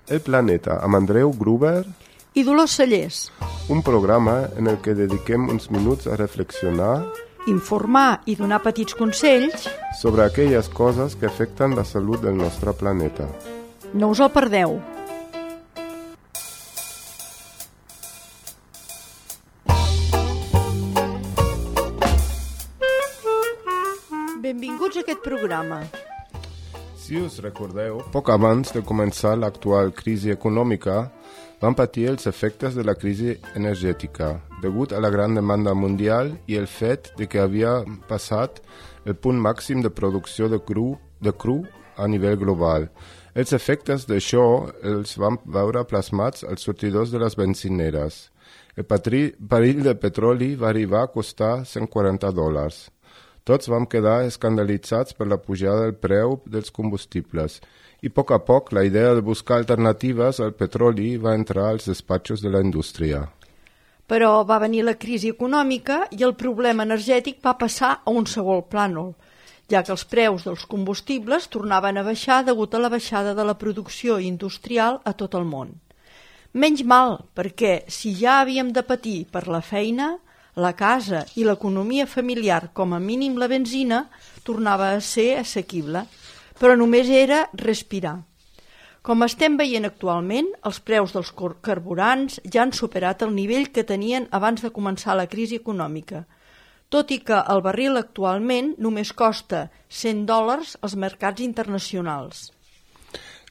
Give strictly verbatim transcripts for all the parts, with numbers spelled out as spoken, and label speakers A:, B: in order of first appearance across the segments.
A: El Planeta, amb Andreu Gruber
B: i Dolors Cellers.
A: Un programa en el que dediquem uns minuts a reflexionar,
B: informar i donar petits consells
A: sobre aquelles coses que afecten la salut del nostre planeta.
B: No us el perdeu. Benvinguts a aquest programa.
A: Si us recordeu, poc abans de començar l'actual crisi econòmica, van patir els efectes de la crisi energètica, degut a la gran demanda mundial i el fet de que havia passat el punt màxim de producció de cru, de cru a nivell global. Els efectes d'això els van veure plasmats als sortidors de les benzineres. El barril de petroli va arribar a costar cent quaranta dòlars. Tots vam quedar escandalitzats per la pujada del preu dels combustibles i a poc a poc la idea de buscar alternatives al petroli va entrar als despatxos de la indústria.
B: Però va venir la crisi econòmica i el problema energètic va passar a un segon plànol, ja que els preus dels combustibles tornaven a baixar degut a la baixada de la producció industrial a tot el món. Menys mal, perquè si ja havíem de patir per la feina, la casa i l'economia familiar, com a mínim la benzina, tornava a ser assequible, però només era respirar. Com estem veient actualment, els preus dels carburants ja han superat el nivell que tenien abans de començar la crisi econòmica, tot i que el barril actualment només costa cent dòlars als mercats internacionals.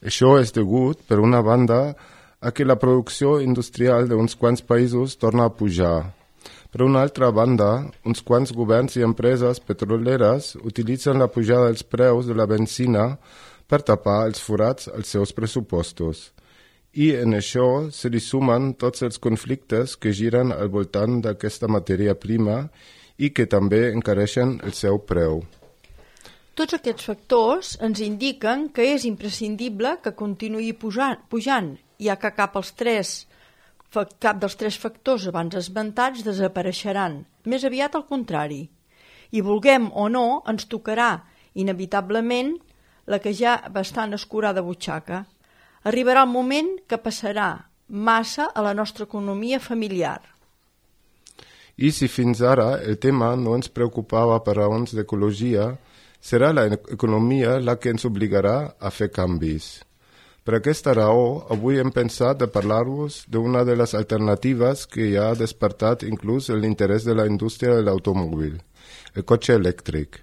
A: Això és degut, per una banda, a que la producció industrial d'uns quants països torna a pujar. Per una altra banda, uns quants governs i empreses petroleres utilitzen la pujada dels preus de la benzina per tapar els forats als seus pressupostos. I en això se li sumen tots els conflictes que giren al voltant d'aquesta matèria prima i que també encareixen el seu preu.
B: Tots aquests factors ens indiquen que és imprescindible que continuï pujant, pujant ja que cap als tres cap dels tres factors abans esmentats desapareixeran, més aviat al contrari. I vulguem o no, ens tocarà, inevitablement, la que ja bastant escurada butxaca. Arribarà el moment que passarà massa a la nostra economia familiar.
A: I si fins ara el tema no ens preocupava per raons d'ecologia, serà l'economia la que ens obligarà a fer canvis. Per aquesta raó, avui hem pensat de parlar-vos d'una de les alternatives que ja ha despertat inclús l'interès de la indústria de l'automòbil, el cotxe elèctric.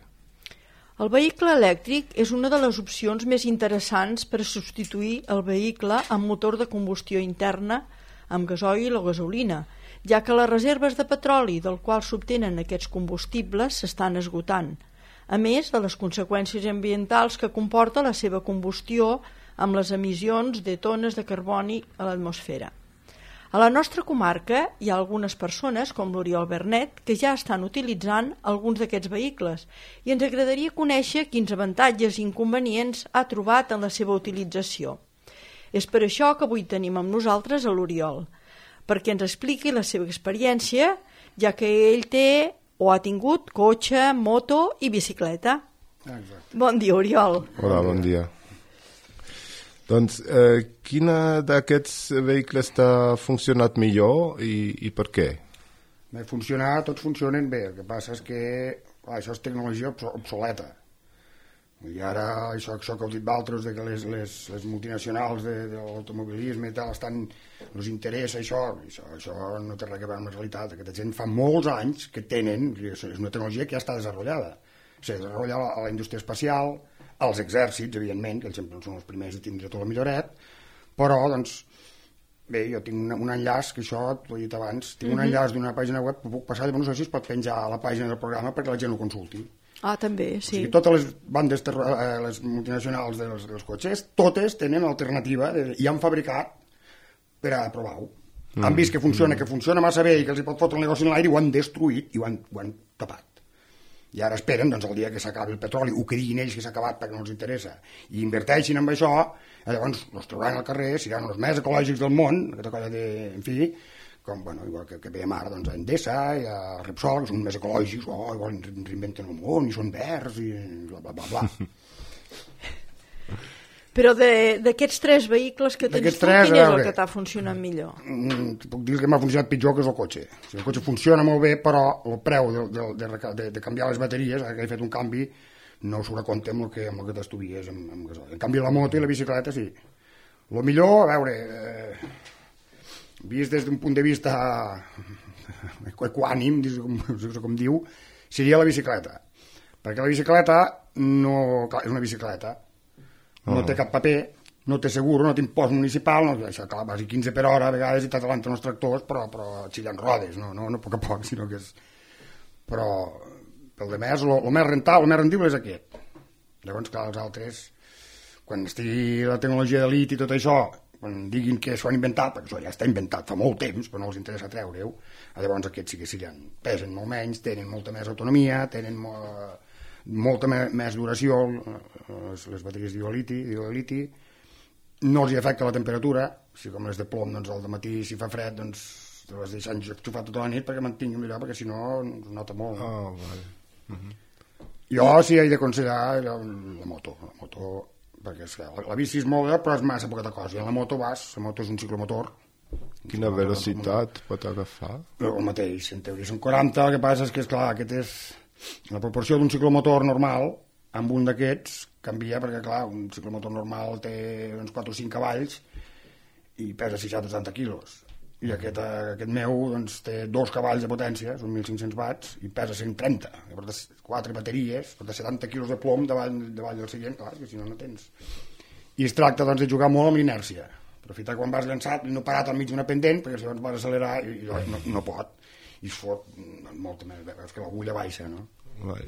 B: El vehicle elèctric és una de les opcions més interessants per substituir el vehicle amb motor de combustió interna amb gasoil o gasolina, ja que les reserves de petroli del qual s'obtenen aquests combustibles s'estan esgotant, a més de les conseqüències ambientals que comporta la seva combustió amb les emissions de tones de carboni a l'atmosfera. A la nostra comarca hi ha algunes persones, com l'Oriol Bernet, que ja estan utilitzant alguns d'aquests vehicles i ens agradaria conèixer quins avantatges i inconvenients ha trobat en la seva utilització. És per això que avui tenim amb nosaltres a l'Oriol, perquè ens expliqui la seva experiència, ja que ell té o ha tingut cotxe, moto i bicicleta.
C: Exacte.
B: Bon dia, Oriol.
A: Hola, bon dia. Doncs, eh, quina d'aquests vehicles t'ha funcionat millor i, i per què?
C: Bé, funcionar, tots funcionen bé. El que passa és que clar, això és tecnologia obsoleta. I ara, això, això que heu dit d'altres, que les, les, les multinacionals de, de l'automobilisme i tal, estan, els interessa això, això, això no té res a veure amb la realitat. Aquesta gent fa molts anys que tenen, és una tecnologia que ja està desenvolupada. S'ha desenvolupat a la indústria espacial, als exèrcits, evidentment, que ells sempre són els primers a tindre tot el milloret, però, doncs, bé, jo tinc un, un enllaç, que això t'ho he dit abans, tinc uh-huh. un enllaç d'una pàgina web que puc passar, llavors no sé si es pot penjar a la pàgina del programa perquè la gent ho consulti.
B: Ah, també, sí.
C: O sigui, totes les bandes, eh, les multinacionals dels, dels cotxes, totes tenen alternativa de, i han fabricat per a provar-ho. Mm. Han vist que funciona, mm. que funciona massa bé i que els hi pot fotre el negoci en l'aire i ho han destruït i ho han, ho han tapat. I ara esperen, doncs, el dia que s'acabi el petroli, o que diguin ells que s'ha acabat perquè no els interessa, i inverteixin en això, llavors els trobaran al carrer, seran els més ecològics del món, aquesta cosa de, en fi, com, bueno, igual que, que veiem ara, doncs, a Endesa i a Repsol, que són més ecològics, oh, igual reinventen el món, i són verds, i bla, bla, bla, bla.
B: Però d'aquests tres vehicles que tens tu, quin és el que t'ha funcionat millor?
C: Puc dir que m'ha funcionat pitjor, que és el cotxe. O sigui, el cotxe funciona molt bé, però el preu de, de, de, de, de canviar les bateries, ara que he fet un canvi, no surt a compte amb el que, amb el que t'estuvies amb, amb gasoil. En canvi, la moto i la bicicleta, sí. El millor, a veure, eh, vist des d'un punt de vista equànim, com, com diu, seria la bicicleta. Perquè la bicicleta no, clar, és una bicicleta, no té cap paper, no té seguro, no té impost municipal, no, això, clar, vas a quinze per hora, a vegades i t'atalanten els tractors, però, però xillant rodes, no, no, no a poc a poc, sinó que és... Però, pel de més, el més rentable, el més rendible és aquest. Llavors, clar, els altres, quan estigui la tecnologia d'elit i tot això, quan diguin que s'ho han inventat, perquè això ja està inventat fa molt temps, però no els interessa treure-ho, llavors aquests sí que seran, pesen molt menys, tenen molta més autonomia, tenen... Molt, molta més duració, les, les bateries d'ioliti, no els hi afecta la temperatura, si com les de plom, doncs al matí si fa fred, doncs te les deixen enxufar tota la nit perquè mantingui millor, perquè si no es nota molt.
A: Oh, vale. uh-huh.
C: Jo sí he d'aconsellar la, la moto, la moto, perquè és que la, la bici és molt bé, però és massa poca cosa, i en la moto vas, la moto és un ciclomotor.
A: Quina velocitat pot agafar?
C: El mateix, en teoria són quaranta, el que passa és que, esclar, aquest és... La proporció d'un ciclomotor normal amb un d'aquests canvia perquè, clar, un ciclomotor normal té uns quatre o cinc cavalls i pesa seixanta o setanta quilos. I aquest, aquest meu doncs, té dos cavalls de potència, són mil cinc-cents watts, i pesa cent trenta. I porta quatre bateries, porta setanta quilos de plom davall, davall del seient, clar, que si no, no tens. I es tracta doncs, de jugar molt amb l'inèrcia. Aprofitar quan vas llançat i no parat al mig d'una pendent, perquè si llavors vas accelerar i, i no, no pot. I es fot molta més, és que l'agulla baixa, no?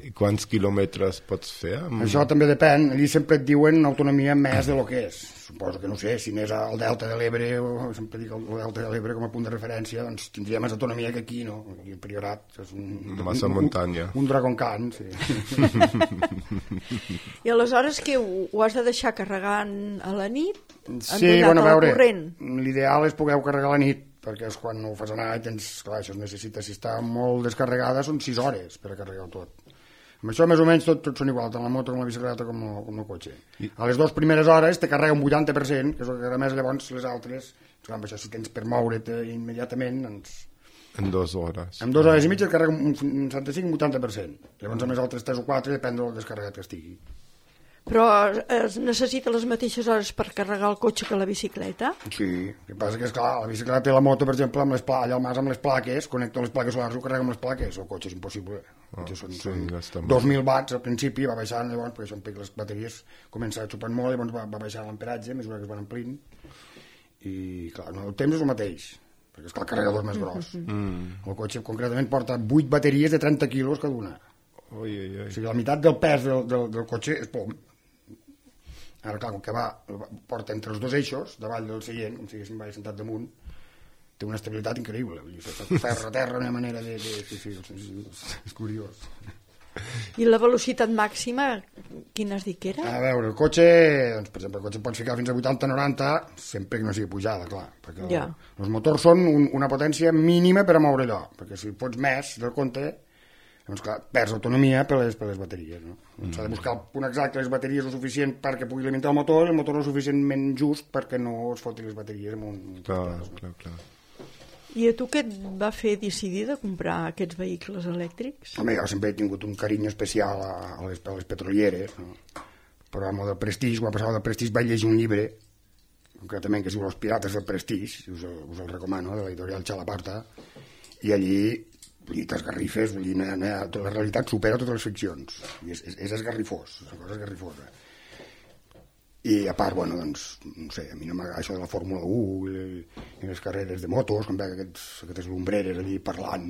A: I quants quilòmetres pots fer? Amb...
C: Això també depèn, allí sempre et diuen autonomia més de lo que és. Suposo que, no sé, si anés al Delta de l'Ebre, o sempre dic el Delta de l'Ebre com a punt de referència, doncs tindria més autonomia que aquí, no? Aquí el Priorat és un...
A: Massa
C: un,
A: muntanya.
C: Un, un Dragon Khan, sí.
B: I aleshores que ho, ho has de deixar carregant a la nit?
C: Sí, bueno, a veure, l'ideal és poder carregar a la nit, perquè és quan ho fas anar i tens, clar, això es necessita, si està molt descarregada són sis hores per a carregar tot. Amb això més o menys tot, tot són igual, tant la moto com la bicicleta com el, com el cotxe. I... A les dues primeres hores te carrega un vuitanta per cent, que és el que a més llavors les altres, clar, això si tens per moure't immediatament, doncs...
A: En dues hores.
C: En dues hores i mitja et carrega un, un setanta-cinc o vuitanta per cent. Llavors a més altres tres o quatre depèn del descarregat que estigui.
B: Però es necessita les mateixes hores per carregar el cotxe que la bicicleta?
C: Sí, el que passa que és clar, la bicicleta i la moto, per exemple, amb les pla... allà al mas amb les plaques, connecto les plaques solars i ho carrega amb les plaques, el cotxe és impossible.
A: Oh,
C: són,
A: sí,
C: són
A: ja
C: dos mil watts al principi, va baixant llavors, perquè són les bateries comença xupant molt, llavors va, va baixant l'amperatge a mesura que es van omplint, i clar, no, el temps és el mateix, perquè és clar, el carregador és més gros. Mm. El cotxe concretament porta vuit bateries de trenta quilos cada una.
A: Ui, ui, ui.
C: O sigui, la meitat del pes del, del, del cotxe és plom. Ara, clar, com que va, porta entre els dos eixos, davall del seient, com si haguéssim sentat damunt, té una estabilitat increïble. Vull dir, ferra a terra, una manera de... de sí, sí, és, és curiós.
B: I la velocitat màxima, quina has dit que era?
C: A veure, el cotxe, doncs, per exemple, el cotxe pots ficar fins a vuitanta noranta, sempre que no sigui pujada, clar, perquè ja. el, els motors són un, una potència mínima per a moure allò, perquè si pots més del compte, doncs clar, perds autonomia per les, per les bateries, no? Mm. S'ha de buscar el punt exacte, les bateries o suficient perquè pugui alimentar el motor, i el motor o suficientment just perquè no es foti les bateries amb un...
A: Clar, no? clar, clar.
B: I a tu què et va fer decidir de comprar aquests vehicles elèctrics?
C: Home, jo sempre he tingut un carinyo especial a, a, les, a les petrolieres, no? Però amb el del Prestige, quan passava del Prestige vaig llegir un llibre, concretament que es diu Los Pirates del Prestige, us el, us el recomano, de l'editorial Chalaparta, i allí i t'esgarrifes, vull dir, la realitat supera totes les ficcions, i és, és, és esgarrifós, és una cosa esgarrifosa. I a part, bueno, doncs, no sé, a mi no m'agrada això de la Fórmula u i, i les carreres de motos, quan veig aquests, aquestes lumbreres allí parlant,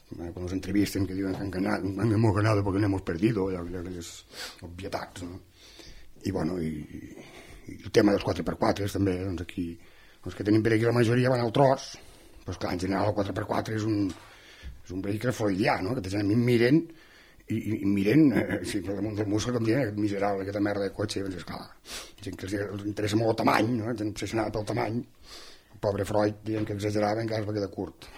C: quan els entrevisten que diuen que han ganat, han hemos ganado porque no hemos perdido, ja, aquelles obvietats, no? I, bueno, i, i el tema dels quatre per quatre també, doncs aquí, els que tenim per aquí la majoria van al tros, doncs clar, en general el quatre per quatre és un és un vehicle freudià, no? Que a mi em miren i, i, i miren eh, sí, per damunt del muscle, com diuen, aquest miserable, aquesta merda de cotxe, doncs esclar, gent que els, els interessa molt el tamany, no? Gent obsessionada pel tamany, el pobre Freud, dient que exagerava, encara es va quedar curt.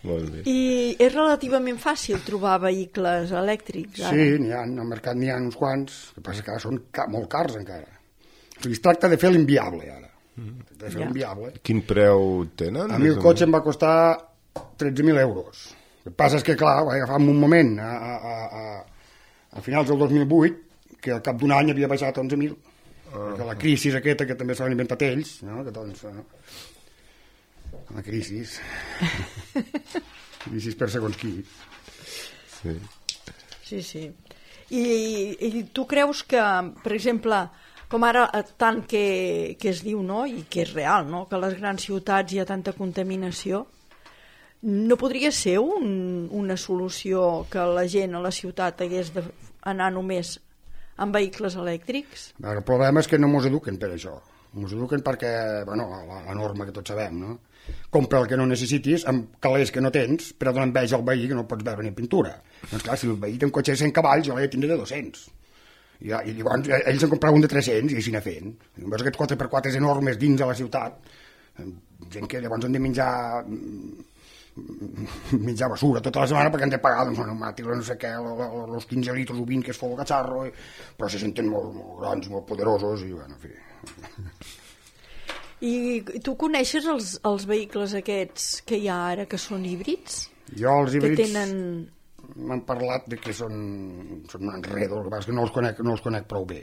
A: Molt bé.
B: I és relativament fàcil trobar vehicles elèctrics, ara?
C: Sí, n'hi ha, al mercat n'hi ha uns quants, el que passa que ara són ca molt cars encara. O sigui, es tracta de fer l'inviable, ara. De fer
B: Ja.
C: l'inviable.
A: Quin preu tenen?
C: A mi el cotxe em va costar tretze mil euros. El que passa és que, clar, vaig agafar en un moment, a, a, a, a finals del dos mil vuit, que al cap d'un any havia baixat a onze mil. Uh, perquè la crisi aquesta, que també s'han inventat ells, no? Que doncs, no? La crisi. Crisi per segons qui.
A: Sí.
B: Sí, sí. I, I tu creus que, per exemple, com ara tant que, que es diu, no?, i que és real, no?, que a les grans ciutats hi ha tanta contaminació, no podria ser un, una solució que la gent a la ciutat hagués d'anar només amb vehicles elèctrics?
C: El problema és que no mos eduquen per això. Mos eduquen perquè, bueno, la, la norma que tots sabem, no? Compra el que no necessitis amb calés que no tens per a donar enveja al veí que no pots veure ni pintura. Doncs clar, si el veí té un cotxe de cent cavalls, jo l'he de tindre de dos-cents. I, i llavors ells en compraven un de tres-cents i així anar fent. I veus aquests quatre per quatre enormes dins de la ciutat, gent que llavors han de menjar menjar basura tota la setmana perquè han de pagar doncs, pneumàtics, no sé què, els quinze litres o vint que es fou el catxarro, i, però se senten molt, molt grans, molt poderosos i bueno, en fi.
B: I tu coneixes els, els vehicles aquests que hi ha ara que són híbrids?
C: Jo els híbrids
B: que tenen...
C: m'han parlat de que són, són un enredo, el que passa és que no els conec, no els conec prou bé,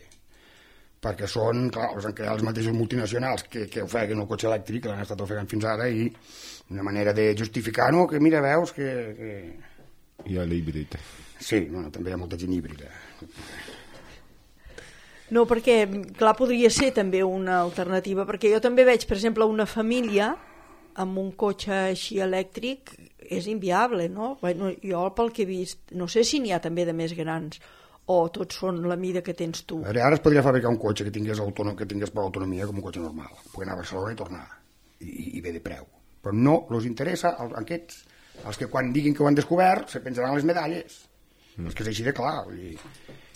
C: perquè són, clar, els han creat els mateixos multinacionals que, que ofeguen el cotxe elèctric, que l'han estat ofegant fins ara, i una manera de justificar-ho, que mira, veus que... que...
A: Hi ha l'híbrid.
C: Sí, bueno, també hi ha molta gent híbrida.
B: No, perquè, clar, podria ser també una alternativa, perquè jo també veig, per exemple, una família amb un cotxe així elèctric és inviable, no? Bueno, jo pel que he vist, no sé si n'hi ha també de més grans, o tots són la mida que tens tu.
C: A veure, ara es podria fabricar un cotxe que tingués, autònom, que tingués per autonomia com un cotxe normal, poder anar a Barcelona i tornar, i, i bé de preu. Però no els interessa als, aquests, els que quan diguin que ho han descobert se penjaran les medalles, mm. els que és així de clar. Vull dir.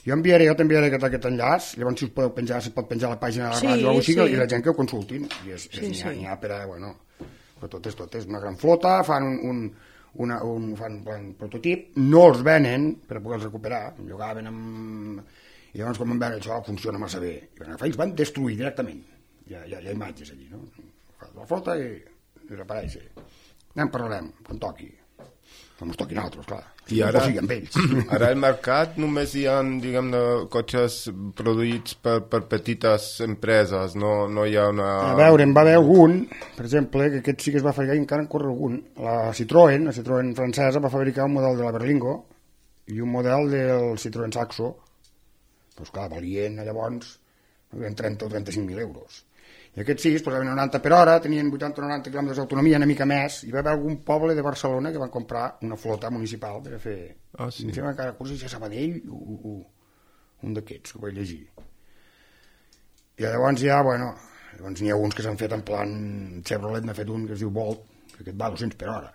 C: Jo enviaré, jo també aquest, aquest enllaç, llavors si us podeu penjar, se pot penjar a la pàgina de la
B: sí,
C: ràdio o alguna cosa,
B: sí.
C: i la gent que ho consultin, i és,
B: sí,
C: és, n'hi ha,
B: sí.
C: n'hi ha per a, bueno, però tot és, tot és una gran flota, fan un, un, una, un, fan un prototip, no els venen per poder-los recuperar, llogaven amb... I llavors quan van veure això funciona massa bé, i van agafar i els van destruir directament, hi ha, hi ha, hi ha imatges allí, no? La flota i, i reapareix. Ja en parlarem, quan toqui. Com es toquin altres, clar.
A: I ara,
C: o sigui, amb ells.
A: Ara al mercat només hi ha, diguem-ne, cotxes produïts per, per petites empreses, no, no hi ha una...
C: A veure, en va haver algun, per exemple, que aquest sí que es va fabricar i encara en corre algun. La Citroën, la Citroën francesa, va fabricar un model de la Berlingo i un model del Citroën Saxo. Doncs clar, valien llavors trenta o trenta-cinc mil euros. I aquests sis posaven noranta per hora, tenien vuitanta o noranta quilòmetres d'autonomia, una mica més, i va haver algun poble de Barcelona que van comprar una flota municipal per a fer...
A: Ah, sí?
C: Em sembla que encara cursos a Sabadell, u, u, un d'aquests, que ho vaig llegir. I llavors ja, bueno, llavors n'hi ha uns que s'han fet en plan... Chevrolet n'ha fet un que es diu Volt, que aquest va a dos-cents per hora.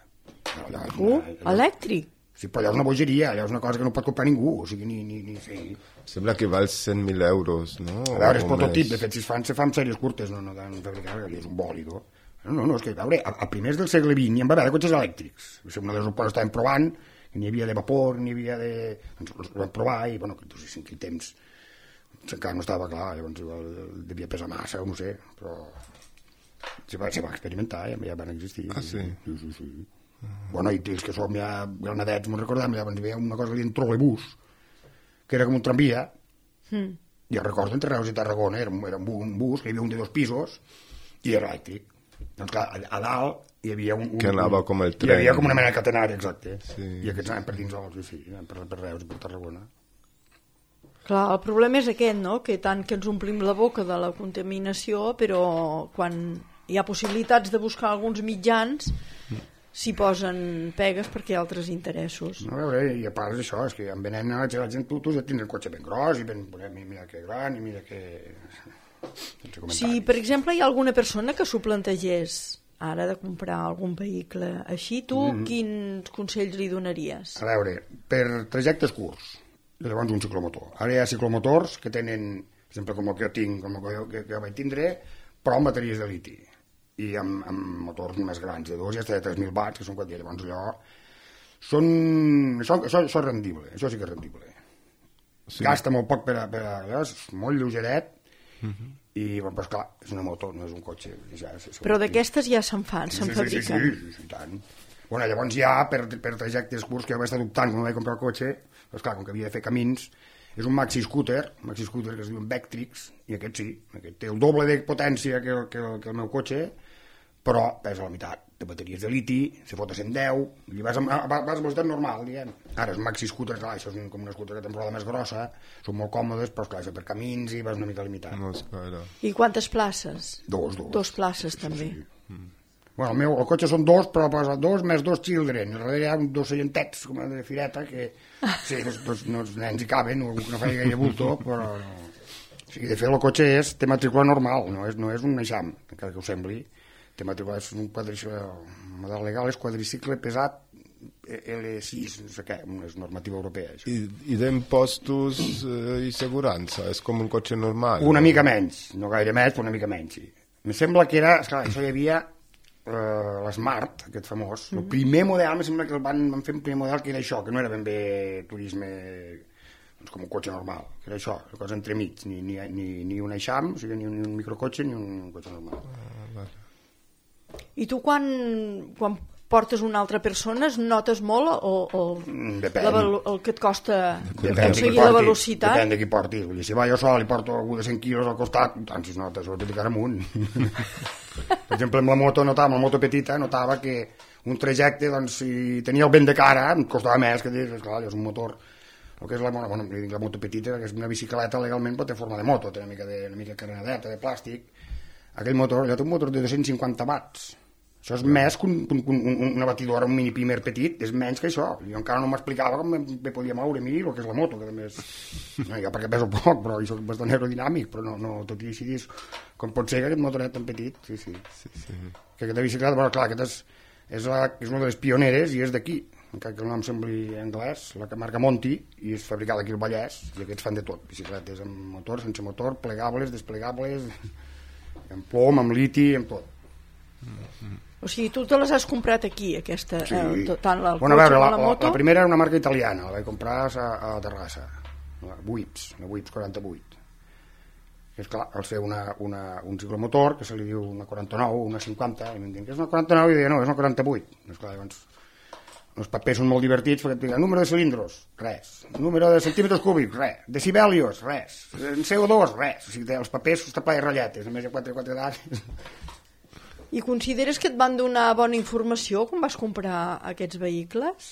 B: Allà, uh, allà, elèctric?
C: Sí, però allò és una bogeria, allò és una cosa que no pot comprar ningú, o sigui, ni... ni, ni sí.
A: Sembla que val cent mil euros, no?
C: A veure, és prototip, de fet, si es fan, se fan sèries curtes, no, no dan fabricar, allò és un bòlido. No, no, no, és que, a veure, a, a primers del segle vint hi en va haver de cotxes elèctrics. Una de les opcions estàvem provant, que n'hi havia de vapor, n'hi havia de... Ens els vam provar i, bueno, que no sé si en quin temps encara no estava clar, llavors igual devia pesar massa, o no sé, però se va, se va experimentar, ja, ja van existir.
A: Ah, sí?
C: Sí, sí, sí. Bueno, i els que som ja granadets, me'n recordem, llavors hi havia una cosa que deien trolebús, que era com un tramvia, mm. jo recordo entre Reus i Tarragona, era, era un bus, que hi havia un de dos pisos, i era elèctric. Doncs clar, a, a dalt hi havia un... un
A: que anava com el tren.
C: Hi havia com una mena de catenari, exacte. Sí. I aquests anaven per dins sols, sí, anaven per, per Reus i per Tarragona.
B: Clar, el problema és aquest, no?, que tant que ens omplim la boca de la contaminació, però quan hi ha possibilitats de buscar alguns mitjans... Mm. s'hi posen pegues perquè hi ha altres interessos.
C: No, a veure, i a part d'això, és que en venent a la gent, tu, tu ja tens el cotxe ben gros, i ben, mira que gran, i mira que...
B: Si, per exemple, hi ha alguna persona que s'ho plantegés ara de comprar algun vehicle així, tu mm-hmm. quins consells li donaries?
C: A veure, per trajectes curts, llavors un ciclomotor. Ara hi ha ciclomotors que tenen, per exemple, com el que jo tinc, com el que, que, que vaig tindre, però amb bateries de liti. i amb, amb motors més grans, de dos i hasta de tres mil watts, que són quatre, llavors allò... Són... Això, això, això és rendible, això sí que és rendible. Sí. Gasta molt poc per a... Per a és molt lleugeret, uh-huh. I, bueno, però, clar, és una moto, no és un cotxe. Ja,
B: però d'aquestes ja se'n fan,
C: sí,
B: se'n
C: sí,
B: fabriquen.
C: Sí, sí, sí, sí, tant. Bueno, llavors ja, per, per trajectes curts que jo vaig estar dubtant quan vaig comprar el cotxe, doncs clar, com que havia de fer camins, és un maxi scooter, un maxi scooter que es diu Vectrix, i aquest sí, aquest té el doble de potència que el, que el, que el meu cotxe, però pesa la meitat, de bateries de liti, se fot a cent deu, i vas a, vas a velocitat normal, diguem. Ara, és maxi scooter, clar, això és un, com una scooter que té una roda més grossa, són molt còmodes, però clar, això per camins i vas una mica limitat.
A: No, espera.
B: I quantes places?
C: Dos, dos.
B: Dos places, sí, també.
C: Sí, sí. Mm. Bueno, el meu el cotxe són dos, però posa dos més dos children, i darrere hi ha dos seientets, com de fireta, que sí, dos, dos, no, els nens hi caben, no, no fa gaire bulto, però no. O sigui, de fet, el cotxe és, té matrícula normal, no és, no és un eixam, encara que ho sembli. Té matrícula, és un quadricicle, el model legal és quadricicle pesat L sis, no sé què, és normativa europea. Això.
A: I, i d'impostos eh, i segurança, és com un cotxe normal?
C: Una
A: no?
C: mica menys, no gaire més, però una mica menys, sí. Em sembla que era, esclar, això hi havia uh, l'Smart, aquest famós, mm-hmm. El primer model, em sembla que el van, van fer un primer model que era això, que no era ben bé turisme doncs com un cotxe normal, que era això, una cosa entremig, ni, ni, ni, ni un eixam, o sigui, ni un, ni un microcotxe ni un cotxe normal.
A: Ah, vale.
B: I tu quan, quan portes una altra persona es notes molt o, o
C: depèn.
B: La, el que et costa
C: depèn
B: aconseguir la velocitat?
C: Depèn de qui portis. Vull dir, si va jo sol i porto algú de cent quilos al costat, tant si es nota, sobretot de cara amunt. Per exemple, amb la moto notava, amb la moto petita, notava que un trajecte, doncs, si tenia el vent de cara, em costava més, que dir, esclar, és un motor, el que és la, bueno, la moto petita, que és una bicicleta legalment, però té forma de moto, té una mica de, una mica carenadeta, de plàstic. Aquell motor, allò té un motor de dos-cents cinquanta watts. Això és més que un, un, un, una batidora, un mini pimer petit, és menys que això. Jo encara no m'explicava com me podia moure a mi el que és la moto, que també és... No, ja perquè peso poc, però jo soc bastant aerodinàmic, però no, no tot i així dis, com pot ser que aquest motoret tan petit, sí, sí. sí, sí. Que aquesta bicicleta, bueno, clar, aquesta és, és, la, és una de les pioneres i és d'aquí, encara que el nom sembli anglès, la que marca Monti, i és fabricada aquí al Vallès, i aquests fan de tot, bicicletes amb motor, sense motor, plegables, desplegables, amb plom, amb liti, amb tot.
B: Mm-hmm. O sigui, tu te les has comprat aquí, aquesta, sí. eh, tant el
C: bueno,
B: cotxe
C: veure,
B: com
C: la,
B: la moto?
C: La, la primera era una marca italiana, la vaig comprar a, a Terrassa, la Wips, la Wips quaranta-vuit. I és clar, al ser una, una, un ciclomotor, que se li diu una quaranta-nou, una cinquanta, i em diuen que és una quaranta-nou, i deia, no, és una quaranta-vuit. I és clar, llavors, els papers són molt divertits, perquè et diuen, número de cilindros, res. Número de centímetres cúbics, res. Decibelios, res. C O dos, res. O sigui, els papers està ple de ratlletes, només hi ha quatre, quatre dades.
B: I consideres que et van donar bona informació quan vas comprar aquests vehicles?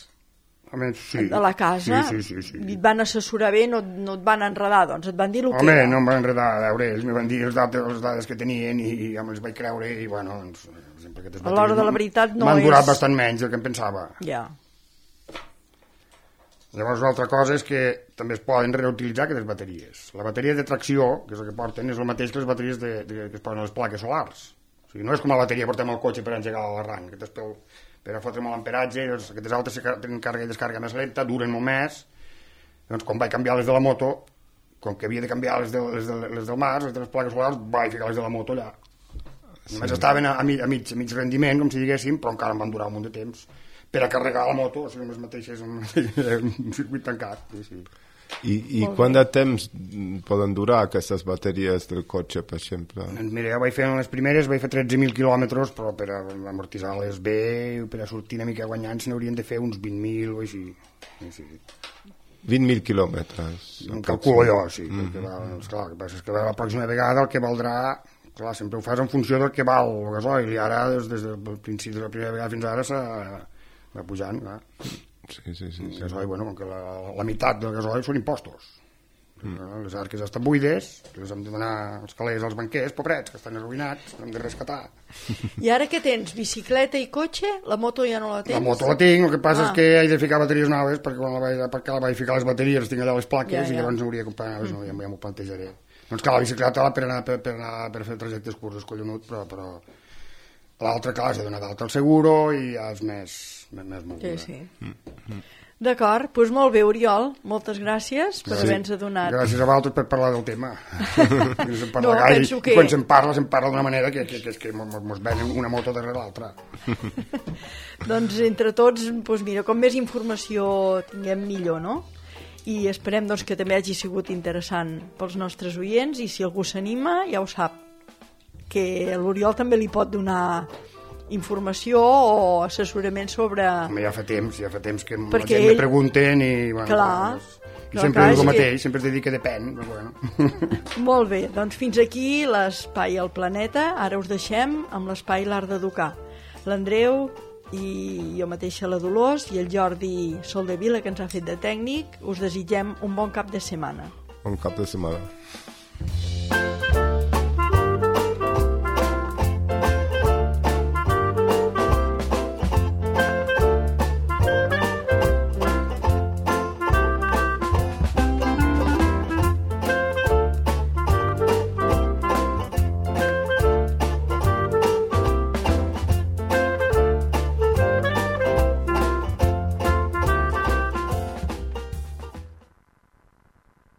C: Home, sí.
B: A la casa?
C: Sí, sí, sí, sí.
B: I et van assessorar bé, no, no et van enredar, doncs et van dir el que
C: Home,
B: era.
C: no em van enredar, a veure, ells me van dir les dades, les dades que tenien i, i ja me'ls vaig creure i, bueno, doncs, sempre aquestes
B: a l'hora de la veritat no
C: m'han
B: és...
C: durat bastant menys del que em pensava.
B: Ja.
C: Llavors, una altra cosa és que també es poden reutilitzar aquestes bateries. La bateria de tracció, que és el que porten, és el mateix que les bateries de, de, que es posen a les plaques solars. O sigui, no és com la bateria que portem al cotxe per engegar l'arranc, que per, per a fotre molt amperatge, doncs, aquestes altres tenen càrrega i descàrrega més lenta, duren molt més. Doncs quan vaig canviar les de la moto, com que havia de canviar les, de, les, de, les del mar, les de les plaques solars, vaig ficar les de la moto allà. Sí. Només estaven a, a, mig, a, mig, a mig rendiment, com si diguéssim, però encara em van durar un munt de temps per a carregar la moto, o sigui, amb les mateixes, un circuit tancat. Sí, sí.
A: I, i quant de temps poden durar aquestes bateries del cotxe, per exemple?
C: Mira, jo vaig fer les primeres, vaig fer tretze mil quilòmetres, però per amortitzar-les bé, per a sortir una mica guanyant, se n'haurien de fer uns vint mil o així. Sí, sí.
A: vint mil quilòmetres.
C: Em calculo jo, sí. Mm -hmm. va, esclar, el que passa és que la pròxima vegada el que valdrà, clar, sempre ho fas en funció del que val el gasoil, i ara, des, des del principi de la primera vegada fins ara, va pujant, clar.
A: Sí, sí, sí, sí.
C: Gasoil, bueno, com que la, la meitat del gasoil són impostos. Mm. Les arques estan buides, les hem de donar els calés als banquers, pobrets, que estan arruïnats, hem de rescatar.
B: I ara què tens? Bicicleta i cotxe? La moto ja no la tens?
C: La moto la tinc, el que passa ah. és que he de ficar bateries noves, perquè quan la vaig, perquè la vaig ficar les bateries tinc allà les plaques, ja, ja. I llavors no hauria de comprar noves, mm. no, ja, ja m'ho plantejaré. Doncs clar, la bicicleta per anar per, per, anar, per fer trajectes curts és collonut, però, però l'altra, clar, has de donar d'alta al seguro i ja és més, més, més mogura.
B: Sí, sí. Mm. D'acord, doncs molt bé, Oriol, moltes gràcies per sí. haver-nos adonat.
C: Gràcies a vosaltres per parlar del tema.
B: No, penso que...
C: Quan se'n parla, se'n parla d'una manera que, que, que, que mos venen una moto darrere l'altra.
B: Doncs entre tots, doncs mira, com més informació tinguem millor, no? I esperem doncs, que també hagi sigut interessant pels nostres oients, i si algú s'anima ja ho sap, que l'Oriol també li pot donar informació o assessorament sobre...
C: Home, ja fa temps, ja fa temps que
B: perquè
C: la gent ell... me pregunten i... Bueno,
B: clar,
C: doncs, i sempre és el mateix, que... sempre es dedica depèn. Però bueno.
B: Molt bé, doncs fins aquí l'Espai al Planeta. Ara us deixem amb l'Espai L'Art d'Educar. L'Andreu i jo mateixa, la Dolors, i el Jordi Soldevila, que ens ha fet de tècnic, us desitgem un bon cap de setmana.
A: Bon cap de setmana.